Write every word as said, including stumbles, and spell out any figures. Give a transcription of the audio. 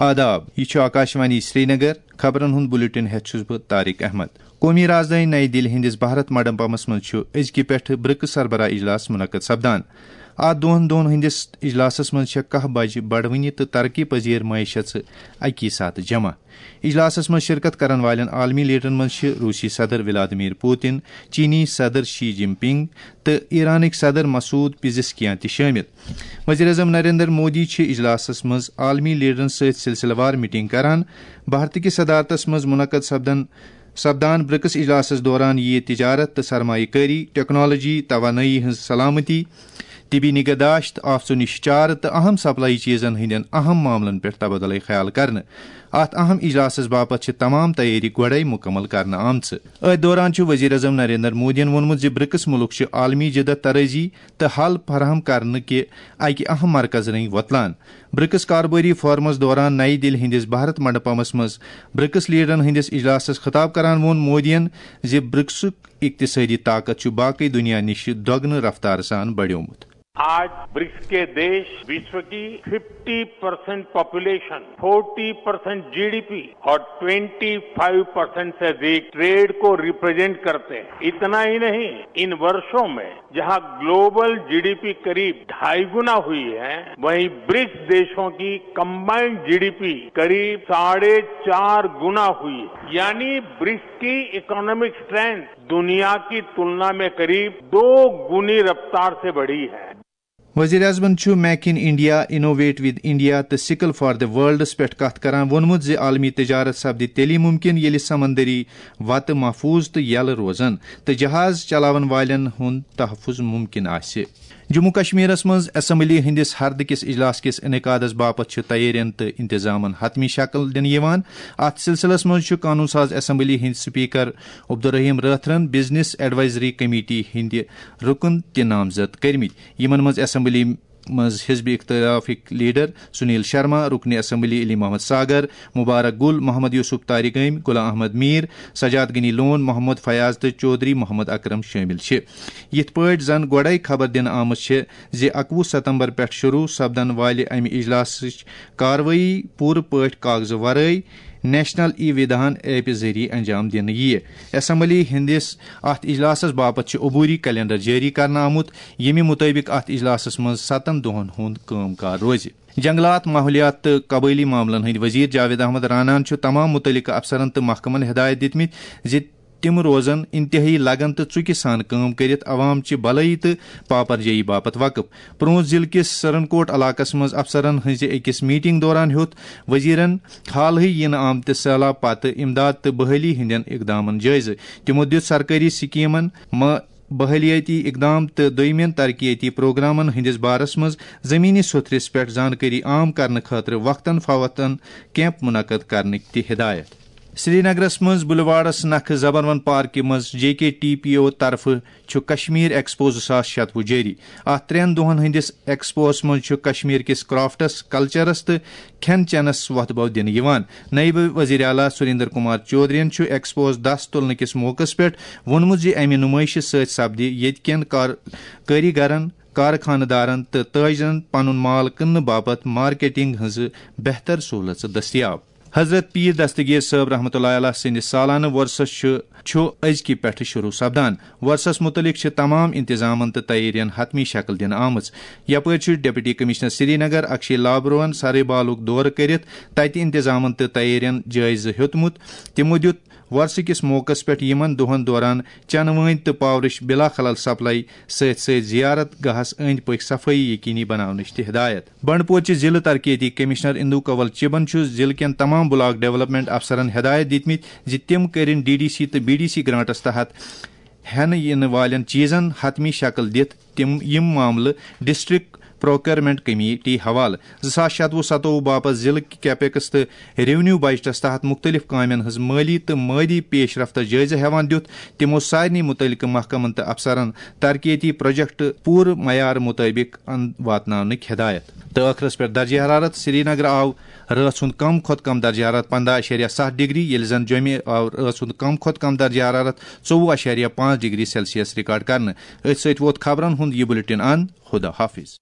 آداب، یہِ چھُ آکاشوانی سرینگر۔ خبرن ہُنٛد بُلٹن ہٮ۪تھ چھُس بہٕ طارق احمد۔ قومی رازدٲنۍ نئی دِلہِ ہٕنٛدِس بھارت منڈپمس منٛز چھُ أزکہِ پٮ۪ٹھٕ برکس سربراہ اجلاس منعقد سپدان۔ اتھ دۄن دۄہن ہٕنٛدِس اجلاسس منٛز چھےٚ کاہ بجہِ بڑوٕنہِ تہٕ ترقی پذیر معیشت اکی ساتہٕ جمع۔ اجلاسس منٛز شرکت کرن والٮ۪ن عالمی لیڈرن منٛز چھِ روسی صدر ولادیمیر پوتن، چینی صدر شی جن پنگ تہٕ ایرانٕکۍ صدر مسعود پزشکیان تہِ شٲمِل۔ وزیر اعظم نریندر مودی چھِ اجلاسس منٛز عالمی لیڈرن سۭتۍ سلسلہٕ وار میٹنگ کران۔ بھارت کِس صدارتس منٛز منعقد سپدن سپدان برکس اجلاسس دوران یِیہِ تجارت تہٕ سرمایہ کٲری، ٹیکنالوجی، توانٲیی ہٕنٛز سلامتی، طبی نگہداشت، آفژو نِش چارٕ تہٕ اہم سپلائی چیزن ہٕنٛدٮ۪ن اہم معاملن پٮ۪ٹھ تبادلہٕ خیال کرنہٕ۔ اتھ اہم اجلاسس باپتھ چھِ تمام تیٲری گۄڈے مکمل کرنہٕ آمژٕ۔ أتھۍ دوران چھُ وزیر اعظم نریندر مودیَن ووٚنمُت زِ برکس ملک چھِ عالمی جدت طرازی تہٕ حل فراہم کرنہٕ کہِ اکہِ اہم مرکز رٔنگۍ وۄتلان۔ برکس کاربٲری فورمس دوران نئی دِلہِ ہٕنٛدِس بھارت منڈپمس منٛز برکس لیڈرن ہٕنٛدِس اجلاسس خطاب کران ووٚن مودیَن زِ برکسُک اقتصٲدی طاقت چھُ باقٕے دُنیا نِش دۄگنہٕ رفتارٕ سان بڑیومُت۔ आज ब्रिक्स के देश विश्व की fifty percent population, forty percent GDP और ट्वेंटी फाइव परसेंट से अधिक ट्रेड को रिप्रेजेंट करते हैं। इतना ही नहीं, इन वर्षों में जहां ग्लोबल जीडीपी करीब ढाई गुना हुई है, वहीं ब्रिक्स देशों की कंबाइंड जीडीपी करीब साढ़े चार गुना हुई है। यानी ब्रिक्स की इकोनॉमिक स्ट्रेंथ दुनिया की तुलना में करीब दो गुनी रफ्तार से बढ़ी है। وزیر اعظمن چھُ make in India, innovate with India تہٕ سکل فار دی ورلڈس پٮ۪ٹھ کتھ کران ووٚنمُت زِ عالمی تجارت سپدِ تیٚلی ممکن ییٚلہِ سمندری وتہٕ محفوظ تہٕ یلہٕ روزن تہٕ جہاز چلاون والٮ۪ن ہُنٛد تحفظ ممکن آسہِ۔ جموں کشمیرس منٛز اسمبلی ہٕنٛدِس ہردٕ کِس اجلاس کِس انعقادس باپتھ چھِ تیٲرین تہٕ انتظامن حتمی شکل دِنہٕ یِوان۔ اتھ سلسلس منٛز چھُ قانون ساز اسمبلی ہٕنٛدۍ speaker Abdul Rahim رٲتھرن business advisory committee ہٕنٛدِ رکن تہِ نامزد کٔرمٕتۍ، یِمن منٛز اسمبلی منٛز حزب اختلافٕکۍ لیڈر سنیل شرما، رکن اسمبلی علی محمد ساگر، مبارک گل، محمد یوسف طارق گٲمۍ، غلام احمد میر، سجاد غنی لون، محمد فیاض تہٕ چودھری محمد اکرم شٲمِل چھِ۔ یِتھ پٲٹھۍ زن گۄڈے خبر دِنہٕ آمٕژ چھِ زِ اکوُہ ستمبر پٮ۪ٹھ شروع سپدن والہِ امہِ اجلاسٕچ کاروٲیی پوٗرٕ پٲٹھۍ کاغذٕ ورٲے نیشنل ای ودھان ایپہِ ذٔریعہٕ انجام دِنہٕ یِیہِ۔ اسمبلی ہٕنٛدِس اتھ اجلاسس باپتھ چھُ عبوری کیلنڈر جٲری کرنہٕ آمُت، ییٚمہِ مُطٲبِق اتھ اجلاسس منٛز ستن دۄہن ہُنٛد کٲم کار روزِ۔ جنگلات، ماحولیات تہٕ قبٲئلی معاملن ہٕنٛدۍ وزیر جاوید احمد راناہن چھُ تمام مُتعلقہٕ افسرن تہٕ محکمن ہدایت دِتمٕتۍ زِ تِم روزن انتہٲئی لگن تہٕ ژُکہِ سان کٲم کٔرِتھ عوام چہِ بلٲیی تہٕ پاپرجٲیی باپتھ وقف۔ پرونز ضلعہٕ کِس سرن کوٹ علاقس منٛز افسرن ہٕنٛزِ أکِس میٹنگ دوران ہیوٚت وزیرن حالٕے یِنہٕ آمتہِ سہلاب پتہٕ امداد تہٕ بحالی ہٕنٛدٮ۪ن اقدامن جٲیزٕ۔ تِمو دِیُت سرکٲری سکیمن، مہ-، بحالیٲتی اقدام تہٕ دوٚیمٮ۪ن ترقیتی پروگرامن ہٕنٛدِس بارس منٛز زمینی سوٚتھرِس پٮ۪ٹھ زانکٲری عام کرنہٕ خٲطرٕ وقتاً فوقتاً کیمپ منعقد کرنٕکۍ تہِ ہدایت۔ سرینگرس منٛز بلیوارڈس نکھٕ زبروَن پارکہِ منٛز جے کے ٹی پی او طرفہٕ چھُ کشمیر ایکسپو زٕ ساس شتوُہ جٲری۔ اتھ ترٛٮ۪ن دۄہن ہٕنٛدِس ایکسپوہس منٛز چھُ کشمیر کِس کرافٹس، کلچرس تہٕ کھٮ۪ن چٮ۪نس وۄتھٕ بو دِنہٕ یِوان۔ نٲیِب وزیر اعلیٰ سریندر کمار چودھرین چھُ ایکسپوہس دس تُلنہٕ کِس موقعس پٮ۪ٹھ ووٚنمُت زِ امہِ نُمٲیشہِ سۭتۍ سپدِ ییٚتہِ کٮ۪ن کار-، کٲریگرن، کارخانہٕ دارن تہٕ تاجرن پنُن مال کٕننہٕ باپتھ مارکیٹنگ ہٕنٛزٕ بہتر سہولژٕ دٔستیاب۔ حضرت پیر دستگیر صٲب رحمتہ اللہ علیہ سٕنٛدِ سالانہٕ وۄرثس چھُ چھُ أزکہِ پٮ۪ٹھٕ شروع سپدان۔ وۄرثس مُتعلق چھِ تمام انتظامن تہٕ تیٲرین حتمی شکل دِنہٕ آمٕژ۔ یپٲرۍ چھُ ڈپٹی کمشنر سرینگر اکشے لابروہن سرے بالُک دورٕ کٔرِتھ تتہِ انتظامن تہٕ تیٲرین جٲیزٕ ہیوٚتمُت۔ تِمو دِیُت وۄرثہٕ کِس موقعس پٮ۪ٹھ یِمن دۄہن دوران چنہٕ وٲنۍ تہٕ پاورٕچ بلا خلل سپلائی سۭتۍ سۭتۍ زیارت گاہس أنٛدۍ پٔکۍ صفٲیی یقینی بناونٕچ تہِ ہدایت۔ بنڈپور چہِ ضلع ترقیتی کمشنر اندو کنول چبن چھُ ضلع کٮ۪ن تمام بلاک ڈیولپمنٹ افسرن ہدایت دِتمٕتۍ زِ تِم کٔرِن ڈی ڈی سی تہٕ بی ڈی سی گرانٹس تحت ہٮ۪نہٕ یِنہٕ والٮ۪ن چیزن حتمی شکل دِتھ تِم یِم معاملہٕ ڈسٹرکٹ پروکیورمنٹ کمیٹی حوالہٕ۔ زٕ ساس شتوُہ ستووُہ باپتھ ضلع کیپیکس تہٕ ریونیو بجٹس تحت مختلف کامٮ۪ن ہٕنٛز مٲلی تہٕ مٲلی پیش رفتس جٲیزٕ ہٮ۪وان دِیُت تِمو سارنٕے متعلقہٕ محکمن تہٕ افسرن ترقیتی پروجیکٹ پوٗرٕ معیار مطٲبق ان-، واتناونٕکۍ ہدایت۔ تہٕ ٲخرس پٮ۪ٹھ درجہ حرارت۔ سرینگر آو رٲژ ہُنٛد کم کھۄتہٕ کم درجہ حرارت پنٛداہ اعشاریہ ستھ ڈگری، ییٚلہِ زن جوٚمہِ آو رٲژ ہُنٛد کم کھۄتہٕ کم درجہ حرارت ژوٚوُہ اعشاریہ پانٛژھ ڈگری سیلسیس ریکارڈ کرنہٕ۔ أتھۍ سۭتۍ ووت خبرن ہُنٛد یہِ بُلٹن اند۔ خدا حافظ۔